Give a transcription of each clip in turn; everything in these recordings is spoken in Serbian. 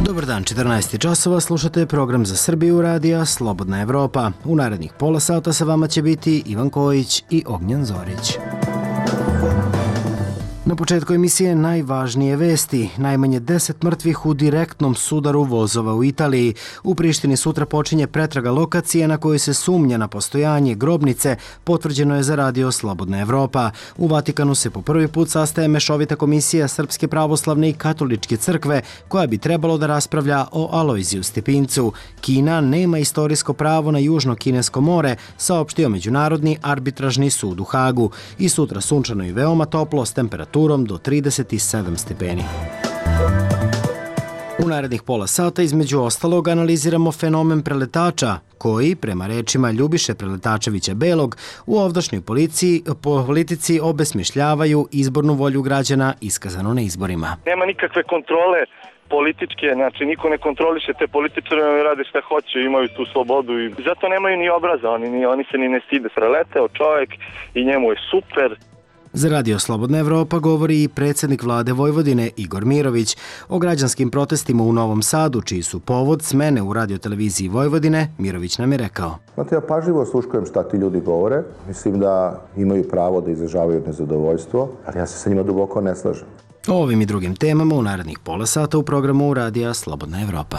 Dobar dan, 14 časova, slušate program za Srbiju radija Slobodna Evropa. U narednih pola sata sa vama će biti Ivan Kojić i Ognjen Zorić. Na početku emisije najvažnije vesti. Najmanje 10 mrtvih u direktnom sudaru vozova u Italiji. U Prištini sutra počinje pretraga lokacije na kojoj se sumnja na postojanje grobnice, potvrđeno je za radio Slobodna Evropa. U Vatikanu se po prvi put sastaje mešovita komisija Srpske pravoslavne i katoličke crkve, koja bi trebalo da raspravlja o Alojziju Stepincu. Kina nema istorijsko pravo na Južno kinesko more, saopštio Međunarodni arbitražni sud u Hagu. I sutra sunčano i veoma toplo s temperaturom do 37 stepeni. U narednih pola sata između ostalog analiziramo fenomen preletača koji, prema rečima Ljubiše Preletačevića Belog, u ovdašnjoj politici obesmišljavaju izbornu volju građana iskazanu na izborima. Nema nikakve kontrole političke, znači niko ne kontroliše te političare, oni rade šta hoće, imaju tu slobodu i zato nemaju ni obraza, oni se ni ne stide. Preleteo čovjek i njemu je super. Za radio Slobodna Evropa govori i predsjednik vlade Vojvodine Igor Mirović o građanskim protestima u Novom Sadu, čiji su povod smene u radioteleviziji Vojvodine. Mirović nam je rekao: Znate, ja pažljivo sluškujem šta ti ljudi govore. Mislim da imaju pravo da izražavaju nezadovoljstvo, ali ja se sa njima duboko ne slažem. O ovim i drugim temama u narednih pola sata u programu radija Slobodna Evropa.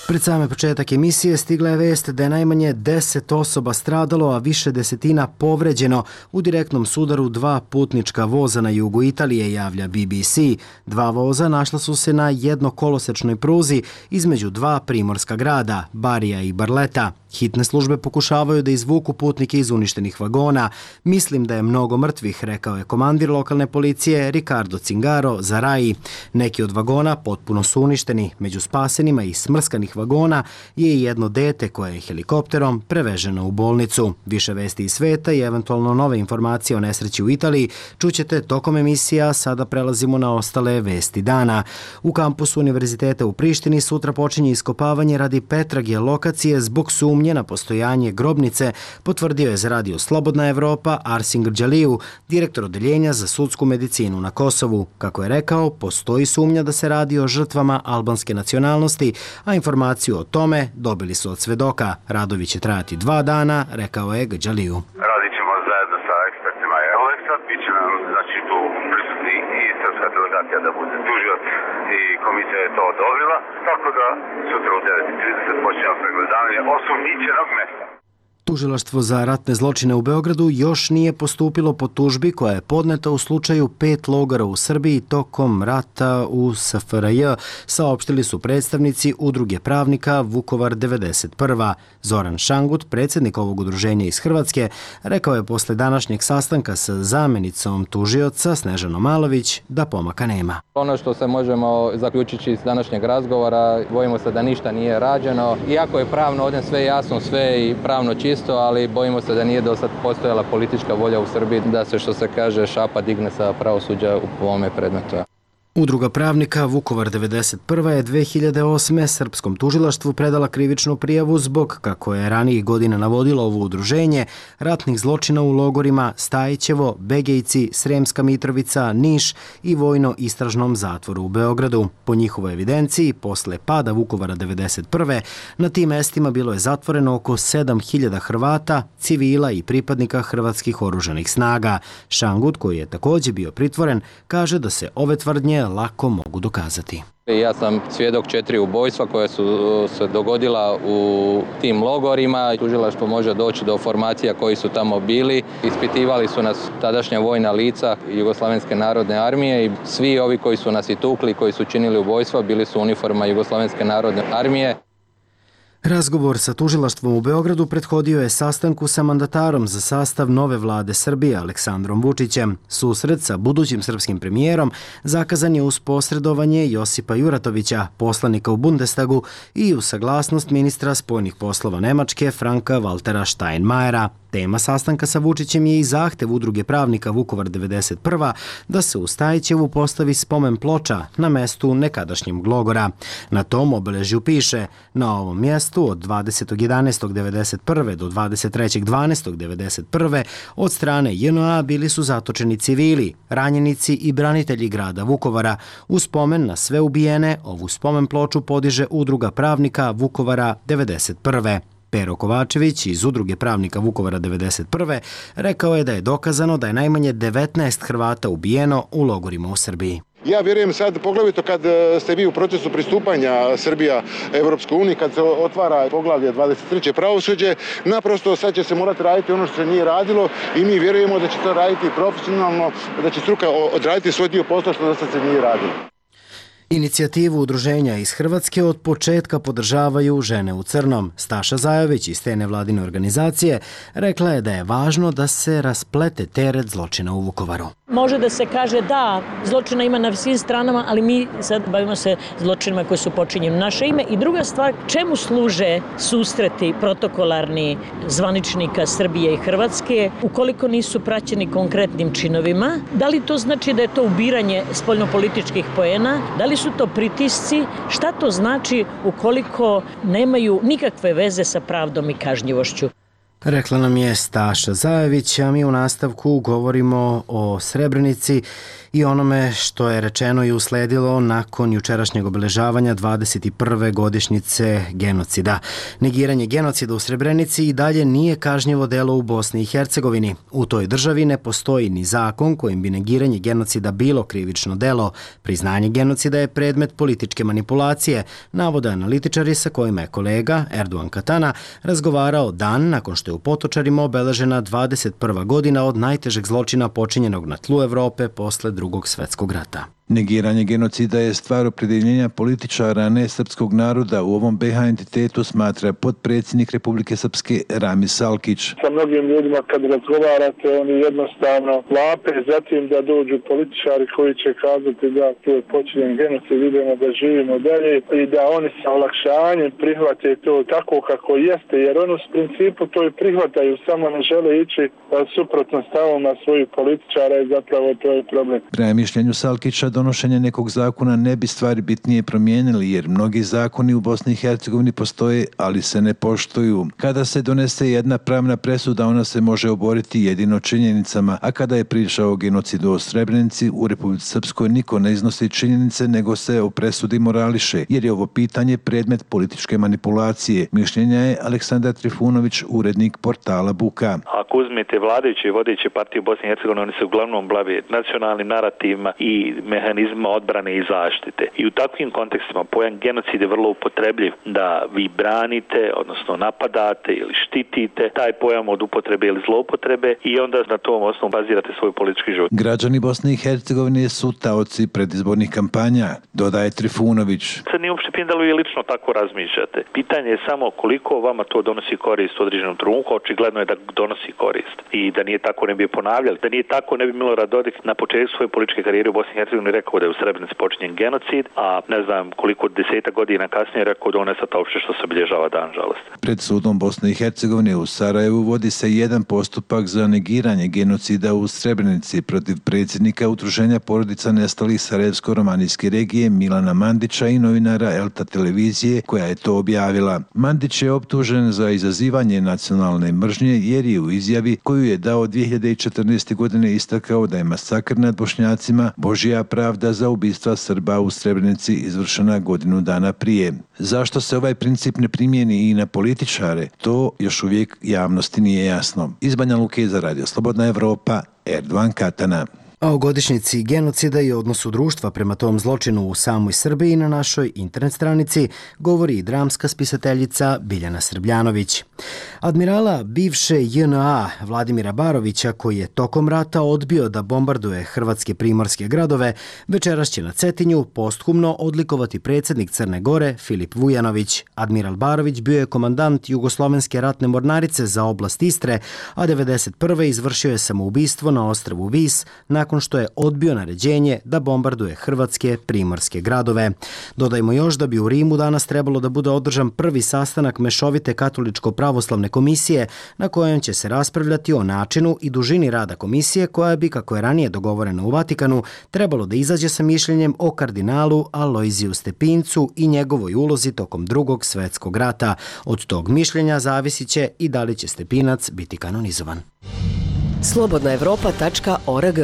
Pred same početak emisije stigla je vest da je najmanje 10 osoba stradalo, a više desetina povređeno u direktnom sudaru dva putnička voza na jugu Italije, javlja BBC. Dva voza našla su se na jednokolosečnoj pruzi između dva primorska grada, Barija i Barleta. Hitne službe pokušavaju da izvuku putnike iz uništenih vagona. Mislim da je mnogo mrtvih, rekao je komandir lokalne policije Riccardo Cingaro za RAI. Neki od vagona potpuno su uništeni. Među spasenima iz smrskanih vagona je i jedno dete koje je helikopterom preveženo u bolnicu. Više vesti iz sveta i eventualno nove informacije o nesreći u Italiji čućete tokom emisija. Sada prelazimo na ostale vesti dana. U kampusu Univerziteta u Prištini sutra počinje iskopavanje radi pretrage lokacije zbog sumnje na postojanje grobnice, potvrdio je za radio Slobodna Evropa Arsin Grđaliju, direktor odeljenja za sudsku medicinu na Kosovu. Kako je rekao, postoji sumnja da se radi o žrtvama albanske nacionalnosti, a informaciju o tome dobili su od svedoka. Radovi će trajati 2 dana, rekao je Grđaliju. Radit ćemo zajedno sa ekspertima Euleksa, bit će nam tu prisutni i srpska delegacija da bude tužilac i komisija je to odobrila, tako da sutra u 9:30 počinjemo pregledavanje osumnjičenog mesta. Tužilaštvo za ratne zločine u Beogradu još nije postupilo po tužbi koja je podneta u slučaju 5 logora u Srbiji tokom rata u SFRJ, saopštili su predstavnici Udruge pravnika Vukovar 91. Zoran Šangut, predsjednik ovog udruženja iz Hrvatske, rekao je posle današnjeg sastanka sa zamenicom tužioca Snežanom Malović da pomaka nema. Ono što se možemo zaključiti iz današnjeg razgovora, bojimo se da ništa nije rađeno. Iako je pravno ovdje sve jasno, sve i pravno čisto, ali bojimo se da nije do sad postojala politička volja u Srbiji da se, što se kaže, šapa digne sa pravosuđa u ovome predmetu. Udruga pravnika Vukovar 91. je 2008. srpskom tužilaštvu predala krivičnu prijavu zbog, kako je ranijih godina navodilo ovo udruženje, ratnih zločina u logorima Stajićevo, Begejci, Sremska Mitrovica, Niš i vojno-istražnom zatvoru u Beogradu. Po njihovoj evidenciji, posle pada Vukovara 91. na tim mestima bilo je zatvoreno oko 7.000 Hrvata, civila i pripadnika hrvatskih oružanih snaga. Šangut, koji je također bio pritvoren, kaže da se ove tvrdnje lako mogu dokazati. Ja sam svjedok 4 ubojstva koja su se dogodila u tim logorima. Tužilaštvo može doći do formacija koji su tamo bili. Ispitivali su nas tadašnja vojna lica Jugoslavenske narodne armije i svi ovi koji su nas i tukli, koji su činili ubojstva, bili su uniforma Jugoslavenske narodne armije. Razgovor sa tužilaštvom u Beogradu prethodio je sastanku sa mandatarom za sastav nove vlade Srbije Aleksandrom Vučićem. Susret sa budućim srpskim premijerom zakazan je uz posredovanje Josipa Juratovića, poslanika u Bundestagu, i uz saglasnost ministra spoljnih poslova Nemačke Franka Waltera Steinmeiera. Tema sastanka sa Vučićem je i zahtev Udruge pravnika Vukovar 91. da se u Stajićevu postavi spomen ploča na mestu nekadašnjeg logora. Na tom obeležju piše: na ovom mjestu od 20.11.91. do 23.12.91. od strane JNA bili su zatočeni civili, ranjenici i branitelji grada Vukovara. U spomen na sve ubijene ovu spomen ploču podiže Udruga pravnika Vukovara 91. Pero Kovačević iz Udruge pravnika Vukovara 91. rekao je da je dokazano da je najmanje 19 Hrvata ubijeno u logorima u Srbiji. Ja vjerujem sad, poglavito kad ste vi u procesu pristupanja Srbija Evropskoj uniji, kad se otvara poglavlje 23. pravosuđe, naprosto sad će se morati raditi ono što se nije radilo i mi vjerujemo da će to raditi profesionalno, da će struka odraditi svoj dio posla što do sad se nije radilo. Inicijativu udruženja iz Hrvatske od početka podržavaju Žene u crnom. Staša Zajović iz te nevladine organizacije rekla je da je važno da se rasplete teret zločina u Vukovaru. Može da se kaže da zločina ima na svim stranama, ali mi sad bavimo se zločinima koji su počinjeni u naše ime. I druga stvar, čemu služe susreti protokolarni zvaničnika Srbije i Hrvatske ukoliko nisu praćeni konkretnim činovima? Da li to znači da je to ubiranje spoljnopolitičkih poena? Da li su to pritisci? Šta to znači ukoliko nemaju nikakve veze sa pravdom i kažnjivošću? Rekla nam je Staša Zajević, a mi u nastavku govorimo o Srebrenici i onome što je rečeno i usledilo nakon jučerašnjeg obeležavanja 21. godišnjice genocida. Negiranje genocida u Srebrenici i dalje nije kažnjivo delo u Bosni i Hercegovini. U toj državi ne postoji ni zakon kojim bi negiranje genocida bilo krivično delo. Priznanje genocida je predmet političke manipulacije, navode analitičari sa kojima je kolega Erdogan Katana razgovarao dan nakon što je u Potočarima obeležena 21. godina od najtežeg zločina počinjenog na tlu Evrope posle Drugog svjetskog rata. Negiranje genocida je stvar opredjeljenja političara, a ne srpskog naroda. U ovom BiH entitetu smatra potpredsjednik Republike Srpske Rami Salkić. Sa mnogim ljudima kad razgovarate, oni jednostavno vape zatim da dođu političari koji će kazati da tu je počinjen genocid, idemo da živimo dalje i da oni sa olakšanjem prihvate to tako kako jeste, jer oni u principu to i prihvataju, samo ne žele ići suprotno stavovima svojih političara i zapravo to je problem. Prema mišljenju Salkića, donošenje nekog zakona ne bi stvari bitnije promijenili, jer mnogi zakoni u Bosni i Hercegovini postoje, ali se ne poštuju. Kada se donese jedna pravna presuda, ona se može oboriti jedino činjenicama, a kada je priča o genocidu u Srebrenici, u Republici Srpskoj niko ne iznosi činjenice, nego se o presudi morališe, jer je ovo pitanje predmet političke manipulacije. Mišljenja je Aleksandar Trifunović, urednik portala Buka. Ako uzmete vladajuće i vodeće partije u Bosni i Hercegovini, oni se uglavnom bave nacionalnim narativima i mehanizma odbrane i zaštite. I u takvim kontekstima pojam genocid je vrlo upotrebljiv da vi branite, odnosno napadate ili štitite taj pojam od upotrebe ili zloupotrebe i onda na tom osnovu bazirate svoj politički život. Građani Bosne i Hercegovine su taoci predizbornih kampanja, dodaje Trifunović. Sad nije uopšte pitanje da li vi lično tako razmišljate. Pitanje je samo koliko vama to donosi korist u određenom trenutku, očigledno je da donosi korist. I da nije tako ne bi je ponavljali. Da nije tako ne bi Milorad Dodik na početku svoje političke karijere u Bosni i Hercegovini rekao da je u Srebrenici počinjen genocid, a ne znam koliko desetak godina kasnije rekao da on je sad uopšte što se obilježava dan žalosti. Pred sudom Bosne i Hercegovine u Sarajevu vodi se jedan postupak za negiranje genocida u Srebrenici protiv predsjednika Udruženja porodica nestalih Sarajevsko-romanijske regije Milana Mandića i novinara Elta televizije koja je to objavila. Mandić je optužen za izazivanje nacionalne mržnje jer je u izjavi koju je dao 2014. godine istakao da je masakr nad Bošnjacima Božja pravda za ubistva Srba u Srebrenici izvršena godinu dana prije. Zašto se ovaj princip ne primijeni i na političare? To još uvijek javnosti nije jasno. Iz Banja Luke za Radio Slobodna Evropa, Erdogan Katana. A o godišnjici genocida i odnosu društva prema tom zločinu u samoj Srbiji na našoj internet stranici govori i dramska spisateljica Biljana Srbljanović. Admirala bivše JNA Vladimira Barovića, koji je tokom rata odbio da bombarduje hrvatske primorske gradove, večeras će na Cetinju posthumno odlikovati predsjednik Crne Gore Filip Vujanović. Admiral Barović bio je komandant Jugoslovenske ratne mornarice za oblast Istre, a 1991. izvršio je samoubistvo na ostrvu Vis nakon nakon što je odbio naređenje da bombarduje hrvatske primorske gradove. Dodajmo još da bi u Rimu danas trebalo da bude održan prvi sastanak Mešovite katoličko-pravoslavne komisije na kojem će se raspravljati o načinu i dužini rada komisije koja bi, kako je ranije dogovoreno u Vatikanu, trebalo da izađe sa mišljenjem o kardinalu Alojziju Stepincu i njegovoj ulozi tokom Drugog svjetskog rata. Od tog mišljenja zavisit će i da li će Stepinac biti kanonizovan. Slobodnaevropa.org.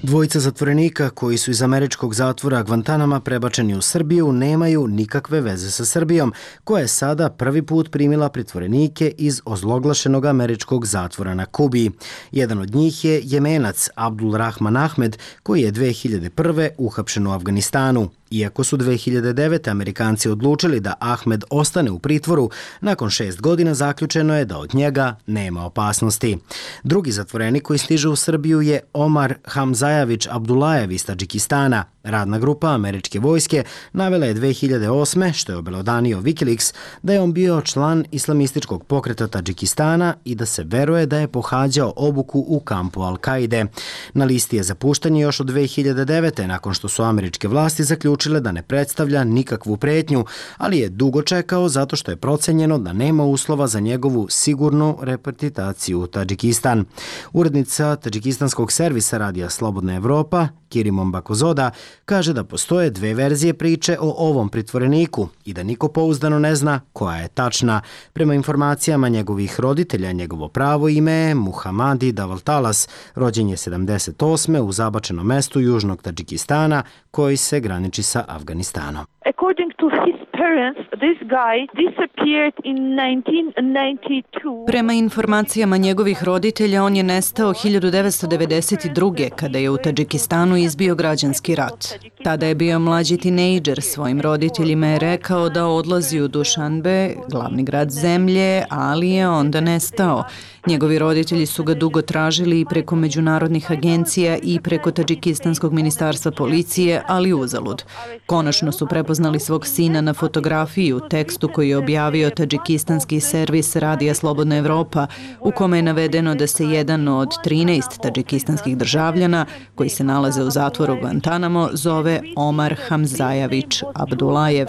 Dvojica zatvorenika koji su iz američkog zatvora Guantanama prebačeni u Srbiju nemaju nikakve veze sa Srbijom, koja je sada prvi put primila pritvorenike iz ozloglašenog američkog zatvora na Kubi. Jedan od njih je Jemenac Abdul Rahman Ahmed, koji je 2001. uhapšen u Afganistanu. Iako su 2009. Amerikanci odlučili da Ahmed ostane u pritvoru, nakon 6 godina zaključeno je da od njega nema opasnosti. Drugi zatvorenik koji stiže u Srbiju je Omar Hamzajević Abdulajev iz Tadžikistana. Radna grupa američke vojske navela je 2008. što je obelodanio Wikileaks da je on bio član islamističkog pokreta Tadžikistana i da se veruje da je pohađao obuku u kampu Al-Kaide. Na listi je za puštanje još od 2009. nakon što su američke vlasti zaključile da ne predstavlja nikakvu pretnju, ali je dugo čekao zato što je procenjeno da nema uslova za njegovu sigurnu repatriaciju u Tadžikistan. Urednica tadžikistanskog servisa radija Slobodna Evropa, Kirimom Bakozoda, kaže da postoje dve verzije priče o ovom pritvoreniku i da niko pouzdano ne zna koja je tačna. Prema informacijama njegovih roditelja, njegovo pravo ime je Muhamadi Davaltalas, rođen je 78. u zabačenom mestu južnog Tadžikistana koji se graniči sa Afganistanom. According to his parents, this guy disappeared in 1992. Prema informacijama njegovih roditelja, on je nestao 1992. kada je u Tadžikistanu izbio građanski rat. Tada je bio mlađi tinejdžer, svojim roditeljima je rekao da odlazi u Dušanbe, glavni grad zemlje, ali je onda nestao. Njegovi roditelji su ga dugo tražili i preko međunarodnih agencija i preko Tadžikistanskog ministarstva policije, ali uzalud. Konačno su prepoznali svog sina na fotografiji u tekstu koji je objavio tadžikistanski servis Radija Slobodna Evropa, u kome je navedeno da se jedan od 13 tadžikistanskih državljana koji se nalaze u zatvoru Guantanamo zove Omar Hamzajević Abdulajev.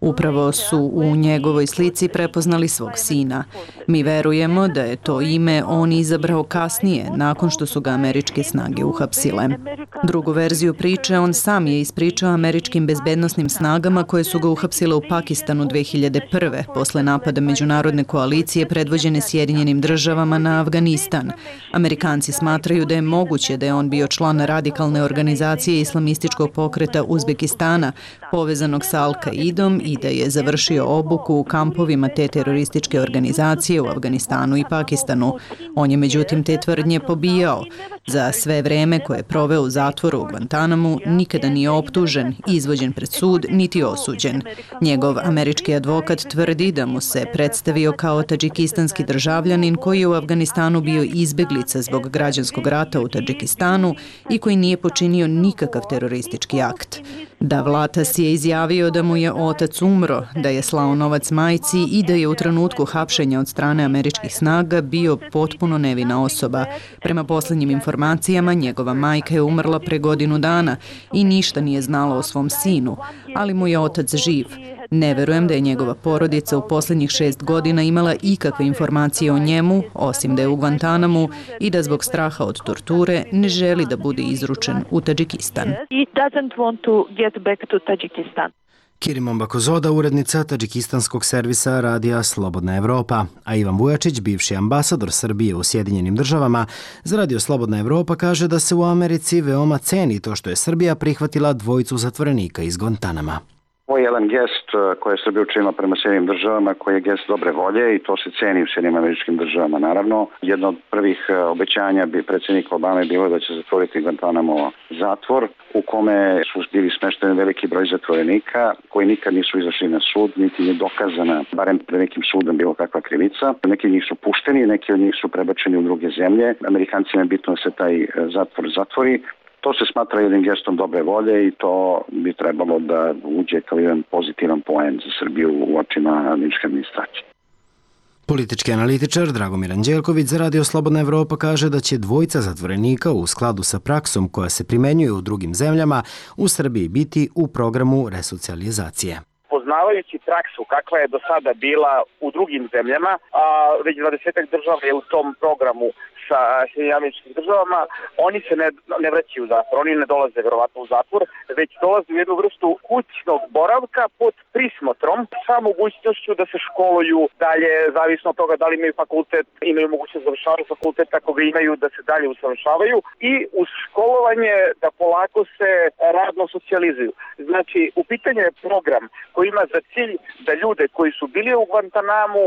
Upravo su u njegovoj slici prepoznali svog sina. Mi verujemo da je to ime on izabrao kasnije, nakon što su ga američke snage uhapsile. Drugu verziju priče on sam je ispričao američkim bezbednosnim snagama koje su ga uhapsile u Pakistanu 2001. posle napada međunarodne koalicije predvođene Sjedinjenim državama na Afganistan. Amerikanci smatraju da je moguće da je on bio član radikalne organizacije islamističkog pokreta Uzbekistana, povezanog sa Al-Kaidom, i da je završio obuku u kampovima te terorističke organizacije u Afganistanu i Pakistanu. On je međutim te tvrdnje pobijao. Za sve vreme koje je proveo u zatvoru u Guantanamu nikada nije optužen, izvođen pred sud, niti osuđen. Njegov američki advokat tvrdi da mu se predstavio kao tadžikistanski državljanin koji je u Afganistanu bio izbeglica zbog građanskog rata u Tadžikistanu i koji nije počinio nikakav teroristički akt. Davlatas je izjavio da mu je otac umro, da je slao novac majci i da je u trenutku hapšenja od strane američkih snaga bio potpuno nevina osoba. Prema posljednjim informacijama, njegova majka je umrla pre godinu dana i ništa nije znala o svom sinu, ali mu je otac živ. Ne verujem da je njegova porodica u posljednjih 6 godina imala ikakve informacije o njemu, osim da je u Guantanamu i da zbog straha od torture ne želi da bude izručen u Tadžikistan. Kirimom Bakozoda, urednica tadžikistanskog servisa Radija Slobodna Evropa, a Ivan Vujačić, bivši ambasador Srbije u Sjedinjenim državama, za Radio Slobodna Evropa kaže da se u Americi veoma ceni to što je Srbija prihvatila dvojicu zatvorenika iz Guantanama. Ovo je jedan gest koji je Srbija učinila prema Sjedinjenim državama, koji je gest dobre volje i to se ceni u Sjedinjenim američkim državama. Naravno, jedno od prvih obećanja bi predsjednika Obame bilo da će zatvoriti Guantanamo zatvor u kome su bili smešteni veliki broj zatvorenika koji nikad nisu izašli na sud, niti je dokazana, barem pred nekim sudom, bilo kakva krivica. Neki od njih su pušteni, neki od njih su prebačeni u druge zemlje. Amerikancima je bitno da se taj zatvor zatvori. To se smatra jednim gestom dobre volje i to bi trebalo da uđe kao jedan pozitivan poen za Srbiju u očima američke administracije. Politički analitičar Dragomir Anđelković za Radio Slobodna Evropa kaže da će dvojica zatvorenika u skladu sa praksom koja se primenjuje u drugim zemljama u Srbiji biti u programu resocijalizacije. Poznavajući praksu kakva je do sada bila u drugim zemljama, a već 20 država je u tom programu sa Američkim državama, oni se ne vraćaju u zatvor, oni ne dolaze verovatno u zatvor, već dolaze u jednu vrstu kućnog boravka pod prismotrom sa mogućnošću da se školuju dalje, zavisno od toga da li imaju fakultet, imaju mogućnost završavaju fakultet, ako ga imaju da se dalje usavršavaju i uz školovanje da polako se radno socijalizuju. Znači, u pitanju je program koji ima za cilj da ljude koji su bili u Guantanamu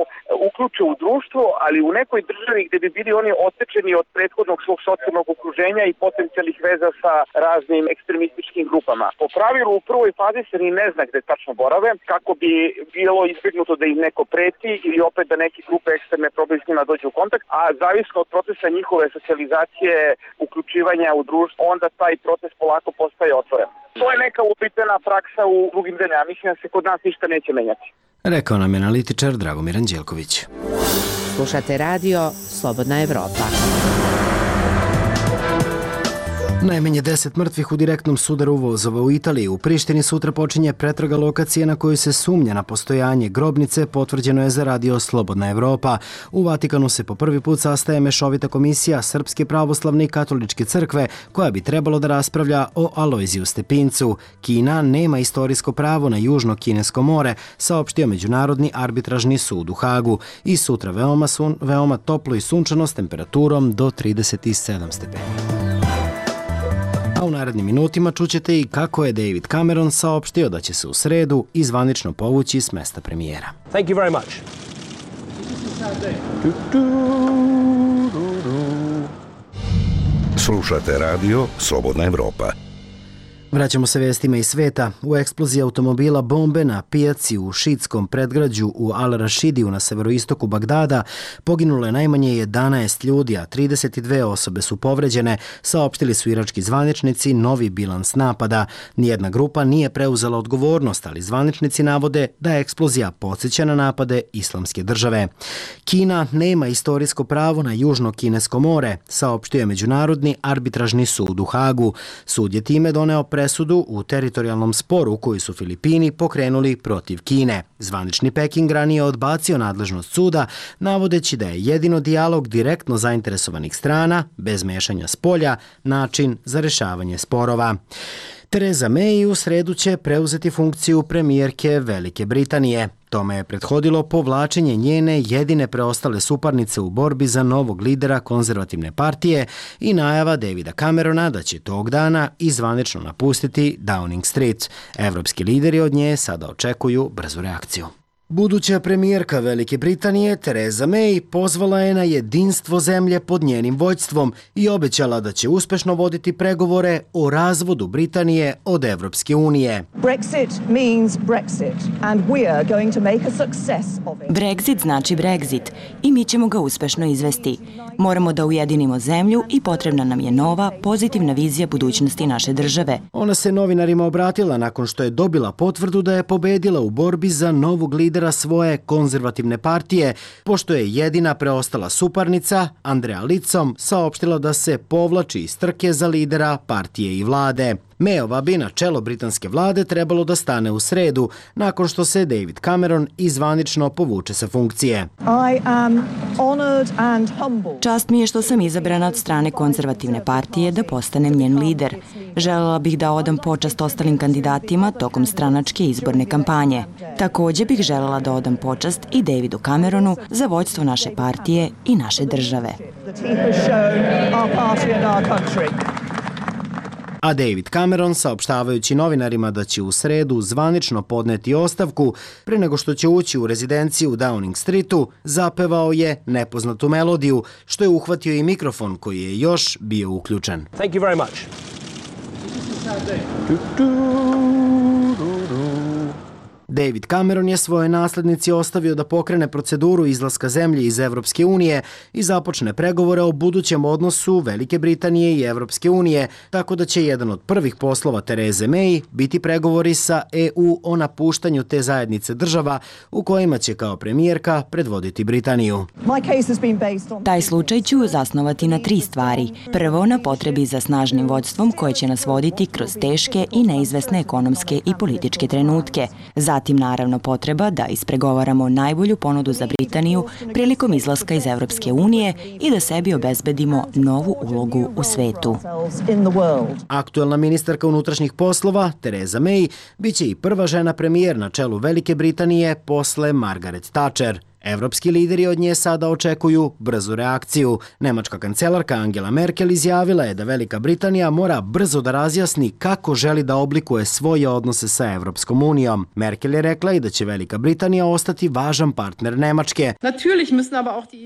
uključe u društvo, ali u nekoj državi gde bi bili oni otečeni od prethodnog svog socijalnog okruženja i potencijalnih veza sa raznim ekstremističkim grupama. Po pravilu u prvoj fazi se ni ne zna gde tačno borave, kako bi bilo izbjegnuto da im neko preti ili opet da neke grupe ekstremne probaju s njima dođu u kontakt, a zavisno od procesa njihove socijalizacije, uključivanja u društvo, onda taj proces polako postaje otvoren. To je neka upitana praksa u drugim zemljama. Mislim da se kod nas ništa neće menjati. Rekao nam je analitičar Dragomir Anđelković. Slušate radio Slobodna Evropa. Najmanje 10 mrtvih u direktnom sudaru vozova u Italiji. U Prištini sutra počinje pretraga lokacije na kojoj se sumnja na postojanje grobnice, potvrđeno je za Radio Slobodna Evropa. U Vatikanu se po prvi put sastaje mešovita komisija Srpske pravoslavne i katoličke crkve, koja bi trebalo da raspravlja o Alojziju Stepincu. Kina nema istorijsko pravo na Južno Kinesko more, saopštio Međunarodni arbitražni sud u Hagu. I sutra veoma toplo i sunčano s temperaturom do 37 stepeni. A u narednim minutima čućete i kako je David Cameron saopštio da će se u sredu i zvanično povući s mesta premijera. Thank you very much. Slušate radio Slobodna Evropa. Vraćamo se vestima iz sveta. U eksploziji automobila bombe na pijaci u šiitskom predgrađu u Al-Rašidiju na severoistoku Bagdada poginulo je najmanje 11 ljudi, a 32 osobe su povređene, saopštili su irački zvaničnici novi bilans napada. Nijedna grupa nije preuzela odgovornost, ali zvaničnici navode da je eksplozija podsjeća na napade Islamske države. Kina nema istorijsko pravo na Južno Kinesko more, saopštio je Međunarodni arbitražni sud u Hagu. Sud je time doneo presudu u teritorijalnom sporu koji su Filipini pokrenuli protiv Kine. Zvanični Peking ranije odbacio nadležnost suda, navodeći da je jedino dijalog direktno zainteresovanih strana, bez mešanja spolja, način za rešavanje sporova. Theresa May u sredu će preuzeti funkciju premijerke Velike Britanije. Tome je prethodilo povlačenje njene jedine preostale suparnice u borbi za novog lidera konzervativne partije i najava Davida Camerona da će tog dana i zvanično napustiti Downing Street. Evropski lideri od nje sada očekuju brzu reakciju. Buduća premijerka Velike Britanije Theresa May pozvala je na jedinstvo zemlje pod njenim vođstvom i obećala da će uspešno voditi pregovore o razvodu Britanije od Evropske unije. Brexit znači Brexit i mi ćemo ga uspešno izvesti. Moramo da ujedinimo zemlju i potrebna nam je nova, pozitivna vizija budućnosti naše države. Ona se novinarima obratila nakon što je dobila potvrdu da je pobedila u borbi za novog lidera svoje konzervativne partije, pošto je jedina preostala suparnica, Andrea Leadsom, saopštila da se povlači iz trke za lidera partije i vlade. Mayova bi na čelo britanske vlade trebalo da stane u sredu, nakon što se David Cameron izvanično povuče sa funkcije. Čast mi je što sam izabrana od strane konzervativne partije da postanem njen lider. Želela bih da odam počast ostalim kandidatima tokom stranačke izborne kampanje. Također bih želela da odam počast i Davidu Cameronu za vođstvo naše partije i naše države. A David Cameron, saopštavajući novinarima da će u sredu zvanično podneti ostavku pre nego što će ući u rezidenciju u Downing Streetu, zapevao je nepoznatu melodiju, što je uhvatio i mikrofon koji je još bio uključen. Thank you very much. David Cameron je svoje naslednici ostavio da pokrene proceduru izlaska zemlje iz Evropske unije i započne pregovore o budućem odnosu Velike Britanije i Evropske unije, tako da će jedan od prvih poslova Tereze May biti pregovori sa EU o napuštanju te zajednice država u kojima će kao premijerka predvoditi Britaniju. Taj slučaj ću zasnovati na 3 stvari. Prvo, na potrebi za snažnim vođstvom koje će nas voditi kroz teške i neizvesne ekonomske i političke trenutke. Zatim, naravno, potreba da ispregovaramo najbolju ponudu za Britaniju prilikom izlaska iz Evropske unije i da sebi obezbedimo novu ulogu u svetu. Aktuelna ministarka unutrašnjih poslova, Tereza May, biće i prva žena premijer na čelu Velike Britanije posle Margaret Thatcher. Evropski lideri od nje sada očekuju brzu reakciju. Nemačka kancelarka Angela Merkel izjavila je da Velika Britanija mora brzo da razjasni kako želi da oblikuje svoje odnose sa Evropskom unijom. Merkel je rekla i da će Velika Britanija ostati važan partner Nemačke.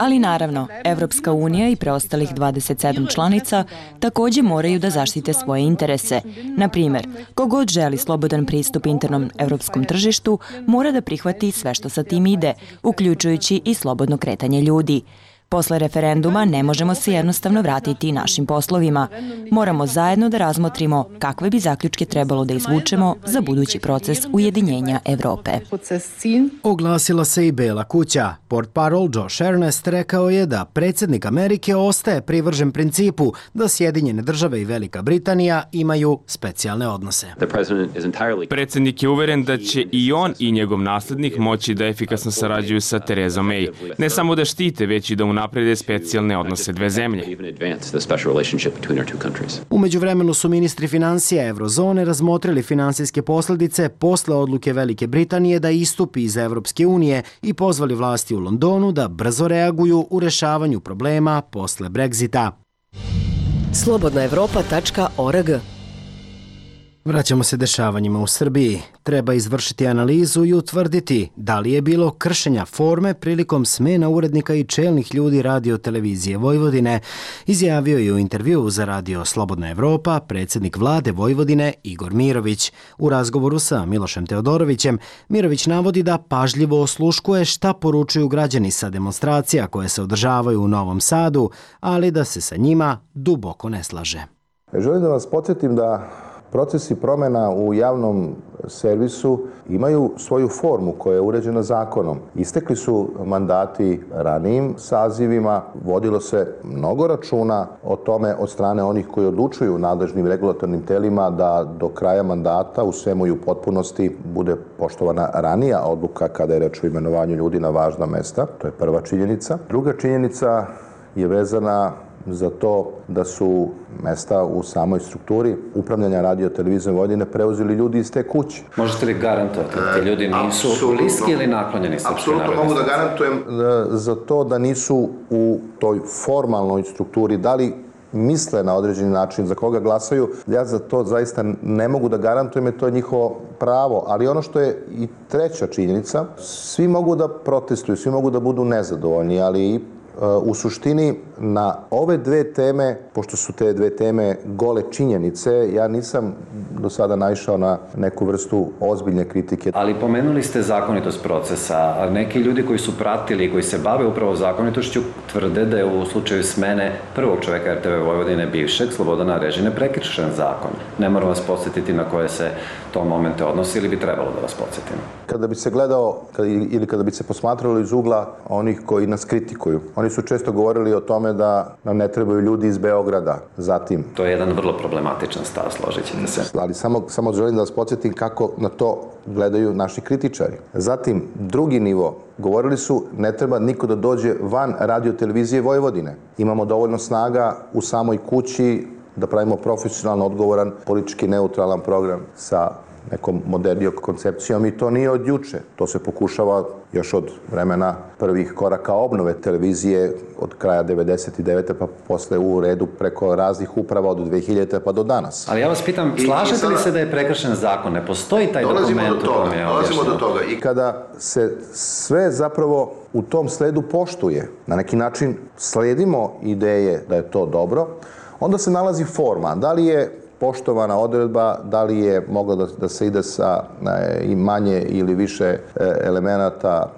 Ali naravno, Evropska unija i preostalih 27 članica takođe moraju da zaštite svoje interese. Na primjer, kogod želi slobodan pristup internom evropskom tržištu mora da prihvati sve što sa tim ide, uključujući i slobodno kretanje ljudi. Posle referenduma ne možemo se jednostavno vratiti našim poslovima. Moramo zajedno da razmotrimo kakve bi zaključke trebalo da izvučemo za budući proces ujedinjenja Evrope. Oglasila se i Bela kuća. Portparol Josh Earnest rekao je da predsjednik Amerike ostaje privržen principu da Sjedinjene države i Velika Britanija imaju specijalne odnose. Predsjednik je uveren da će i on i njegov naslednik moći da efikasno sarađuju sa Terezom May. Ne samo da štite, već i da unaprede specijalne odnose dve zemlje. U međuvremenu su ministri finansija Eurozone razmotrili finansijske posljedice posle odluke Velike Britanije da istupi iz Evropske unije i pozvali vlasti u Londonu da brzo reaguju u rešavanju problema posle Brexita. Slobodnaevropa.org. Vraćamo se dešavanjima u Srbiji. Treba izvršiti analizu i utvrditi da li je bilo kršenja forme prilikom smena urednika i čelnih ljudi Radio televizije Vojvodine, izjavio je u intervjuu za radio Slobodna Evropa predsjednik vlade Vojvodine Igor Mirović. U razgovoru sa Milošem Teodorovićem, Mirović navodi da pažljivo osluškuje šta poručuju građani sa demonstracija koje se održavaju u Novom Sadu, ali da se sa njima duboko ne slaže. Želim da vas podsjetim da procesi promjena u javnom servisu imaju svoju formu koja je uređena zakonom. Istekli su mandati ranijim sazivima, vodilo se mnogo računa o tome od strane onih koji odlučuju nadležnim regulatornim telima da do kraja mandata u svemu i u potpunosti bude poštovana ranija odluka kada je reč o imenovanju ljudi na važna mesta. To je prva činjenica. Druga činjenica je vezana za to da su mesta u samoj strukturi upravljanja Radio televizije Vojvodine preuzeli ljudi iz te kuće. Možete li garantovati da ti ljudi nisu bliski ili naklonjeni Srpskoj narodnoj stranci? Apsolutno mogu da garantujem za to da nisu u toj formalnoj strukturi, da li misle na određeni način za koga glasaju. Ja za to zaista ne mogu da garantujem, jer to je njihovo pravo. Ali ono što je i treća činjenica, svi mogu da protestuju, svi mogu da budu nezadovoljni, ali u suštini na ove dve teme, pošto su te dve teme gole činjenice, ja nisam do sada naišao na neku vrstu ozbiljne kritike. Ali pomenuli ste zakonitost procesa, a neki ljudi koji su pratili i koji se bave upravo zakonitošću tvrde da je u slučaju smene prvog čoveka RTV Vojvodine bivšeg Slobodana Arežine prekršen zakon. Ne moram vas podsjetiti na koje se to momente odnosi ili bi trebalo da vas podsjetim. Kada bi se gledao ili kada bi se posmatralo iz ugla onih koji nas kritikuju, oni su često govorili o tome da nam ne trebaju ljudi iz Beograda. Zatim, to je jedan vrlo problematičan stav, složit ćete se. Ali samo želim da vas podsjetim kako na to gledaju naši kritičari. Zatim, drugi nivo, govorili su ne treba niko da dođe van Radio televizije Vojvodine. Imamo dovoljno snaga u samoj kući da pravimo profesionalno odgovoran, politički neutralan program sa nekom modernijom koncepcijom i to nije od juče. To se pokušava još od vremena prvih koraka obnove televizije od kraja 99. pa posle u redu preko raznih uprava od 2000. pa do danas. Ali ja vas pitam, slažete li se da je prekršen zakon? Ne postoji taj dokument u tome je Dolazimo do toga. I kada se sve zapravo u tom sledu poštuje, na neki način sledimo ideje da je to dobro, onda se nalazi forma. Da li je poštovana odredba, da li je moglo da se ide sa i manje ili više elemenata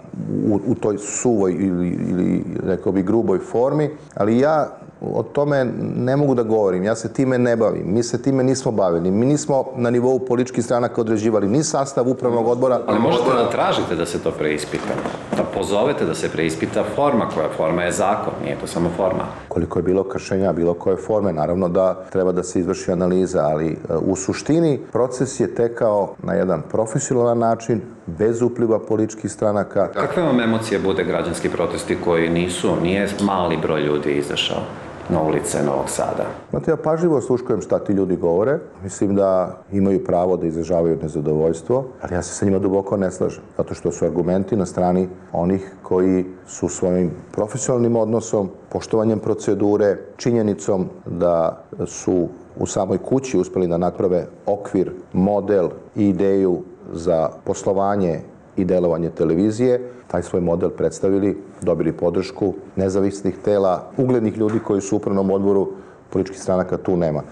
u toj suvoj ili rekao bi gruboj formi, ali ja o tome ne mogu da govorim, ja se time ne bavim, mi se time nismo bavili, mi nismo na nivou političkih stranaka određivali ni sastav upravnog odbora. Ali možete da tražite da se to preispita, da pozovete da se preispita forma, koja forma je zakon, nije to samo forma. Koliko je bilo kršenja bilo koje forme, naravno da treba da se izvrši analiza, ali u suštini proces je tekao na jedan profesionalan način, bez upliva političkih stranaka. Kakve vam emocije bude građanski protesti koji nije mali broj ljudi izašao na ulice Novog Sada? Znate, ja pažljivo sluškujem šta ti ljudi govore. Mislim da imaju pravo da izražavaju nezadovoljstvo, ali ja se sa njima duboko ne slažem. Zato što su argumenti na strani onih koji su svojim profesionalnim odnosom, poštovanjem procedure, činjenicom da su u samoj kući uspeli da naprave okvir, model i ideju za poslovanje i delovanje televizije, taj svoj model predstavili, dobili podršku nezavisnih tela, uglednih ljudi koji su u upravnom odboru političkih stranaka, tu nema.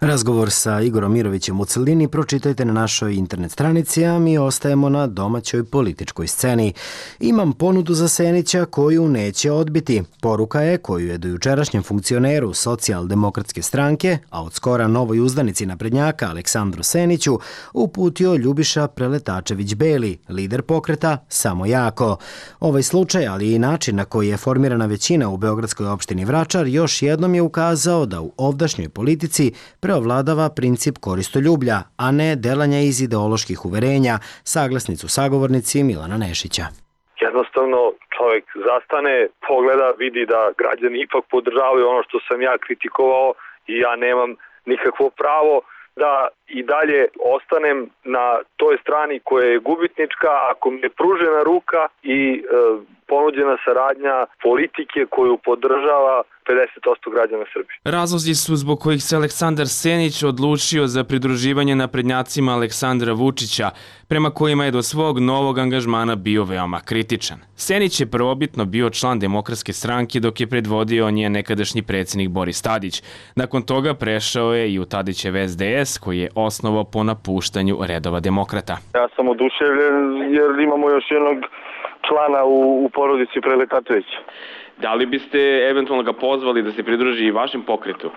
Razgovor sa Igorom Mirovićem u celini pročitajte na našoj internet stranici, a mi ostajemo na domaćoj političkoj sceni. Imam ponudu za Senića koju neće odbiti. Poruka je koju je do jučerašnjem funkcioneru Socijaldemokratske stranke, a od skora novoj uzdanici naprednjaka Aleksandru Seniću, uputio Ljubiša Preletačević-Beli, lider pokreta Samo jako. Ovaj slučaj, ali i način na koji je formirana većina u beogradskoj opštini Vračar, još jednom je ukazao da u ovdašnjoj politici preovladava princip koristoljublja, a ne delanja iz ideoloških uverenja, saglasnicu sagovornici Milana Nešića. Jednostavno čovjek zastane, pogleda, vidi da građani ipak podržavaju ono što sam ja kritikovao i ja nemam nikakvo pravo da i dalje ostanem na toj strani koja je gubitnička ako mi je pružena ruka i ponuđena saradnja politike koju podržava 50% građana Srbije. Razlozi su zbog kojih se Aleksandar Senić odlučio za pridruživanje naprednjacima Aleksandra Vučića, prema kojima je do svog novog angažmana bio veoma kritičan. Senić je prvobitno bio član Demokratske stranke dok je predvodio njen nekadašnji predsjednik Boris Tadić. Nakon toga prešao je i u Tadićev SDS koji je osnovao po napuštanju redova demokrata. Ja sam oduševljen jer imamo još jednog člana u porodici Preletačevića. Da li biste eventualno ga pozvali da se pridruži i vašem pokretu?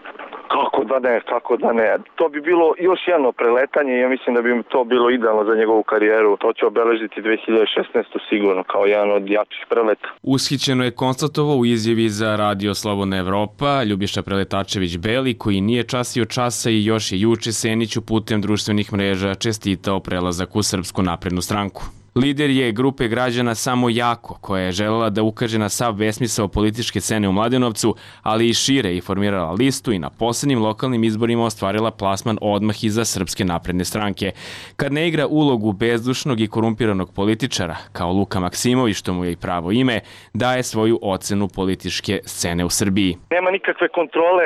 Kako da ne. To bi bilo još jedno preletanje i ja mislim da bi to bilo idealno za njegovu karijeru. To će obeležiti 2016. sigurno kao jedan od jačih preleta. Ushićeno je konstatovao u izjavi za Radio Slobodna Evropa Ljubiša Preletačević-Beli, koji nije časio časa i još je juče Seniću putem društvenih mreža čestitao prelazak u Srpsku naprednu stranku. Lider je grupe građana Samo jako, koja je želela da ukaže na sav besmisao političke scene u Mladenovcu, ali i šire i formirala listu i na posljednjim lokalnim izborima ostvarila plasman odmah iza Srpske napredne stranke. Kad ne igra ulogu bezdušnog i korumpiranog političara, kao Luka Maksimović, što mu je i pravo ime, daje svoju ocenu političke scene u Srbiji. Nema nikakve kontrole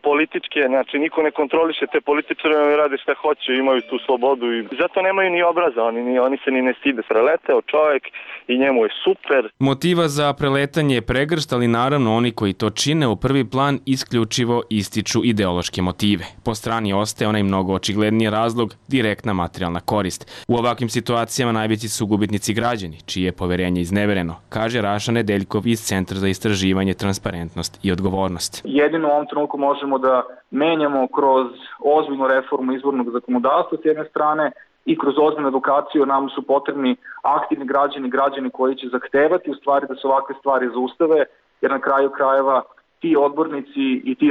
političke, znači niko ne kontroliše te političare, oni rade šta hoće, imaju tu slobodu i zato nemaju ni obraza, oni se ni ne stide. Preleteo čovjek i njemu je super. Motiva za preletanje je pregršt, ali naravno oni koji to čine u prvi plan isključivo ističu ideološke motive. Po strani ostaje onaj mnogo očigledniji razlog, direktna materijalna korist. U ovakvim situacijama najveći su gubitnici građani, čije je poverenje iznevereno, kaže Raša Nedeljkov iz Centra za istraživanje, transparentnost i odgovornost. Jedino u ovom trenutku možemo da menjamo kroz ozbiljnu reformu izbornog zakonodavstva s jedne strane i kroz ozbiljnu edukaciju. Nam su potrebni aktivni građani koji će zahtevati u stvari da se ovakve stvari zaustave, jer na kraju krajeva ti odbornici i ti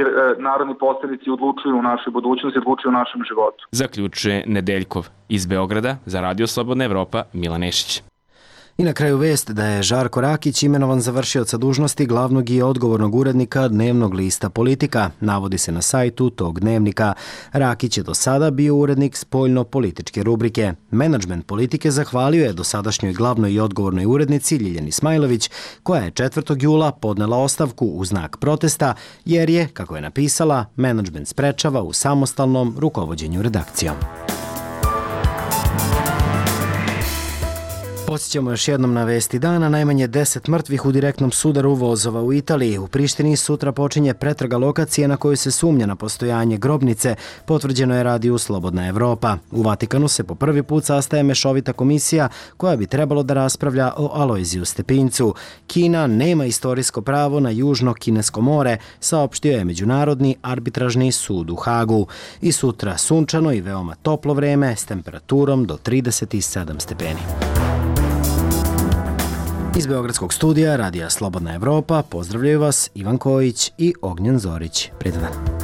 narodni poslanici odlučuju u našoj budućnosti, odlučuju u našem životu. Zaključuje Nedeljkov. Iz Beograda za Radio Slobodna Evropa, Milan Nešić. I na kraju vest da je Žarko Rakić imenovan za vršioca dužnosti glavnog i odgovornog urednika dnevnog lista Politika. Navodi se na sajtu tog dnevnika. Rakić je do sada bio urednik spoljno-političke rubrike. Menadžment Politike zahvalio je dosadašnjoj glavnoj i odgovornoj urednici Ljiljani Smajlović, koja je 4. jula podnela ostavku u znak protesta, jer je, kako je napisala, menadžment sprečava u samostalnom rukovođenju redakcijom. Podsjećamo još jednom na vesti dana, najmanje 10 mrtvih u direktnom sudaru vozova u Italiji. U Prištini sutra počinje pretraga lokacije na kojoj se sumnja na postojanje grobnice, potvrđeno je radiju Slobodna Evropa. U Vatikanu se po prvi put sastaje mešovita komisija koja bi trebalo da raspravlja o Alojziju Stepincu. Kina nema istorijsko pravo na Južno Kinesko more, saopštio je Međunarodni arbitražni sud u Hagu. I sutra sunčano i veoma toplo vreme s temperaturom do 37 stepeni. Iz Beogradskog studija Radija Slobodna Evropa pozdravljaju vas Ivan Kojić i Ognjen Zorić. Prijetan dan.